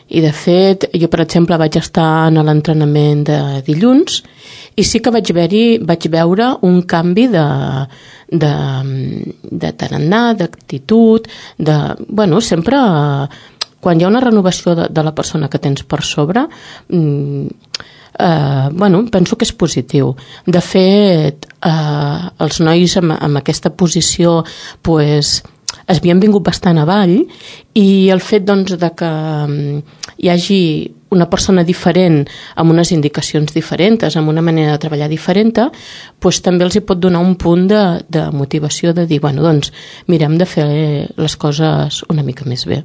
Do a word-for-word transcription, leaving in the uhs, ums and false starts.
I de fet, jo per exemple vaig estar en l'entrenament de dilluns i sí que vaig, haver-hi, vaig veure un canvi de, de, de tarannà, d'actitud, de, bueno, sempre quan hi ha una renovació de, de la persona que tens per sobre, eh, bueno, penso que és positiu. De fet, eh, els nois amb, amb aquesta posició pues, es havien vingut bastant avall i el fet doncs, de que hi hagi una persona diferent amb unes indicacions diferents, amb una manera de treballar diferent, doncs també els hi pot donar un punt de, de motivació de dir, bueno, doncs mirem de fer les coses una mica més bé.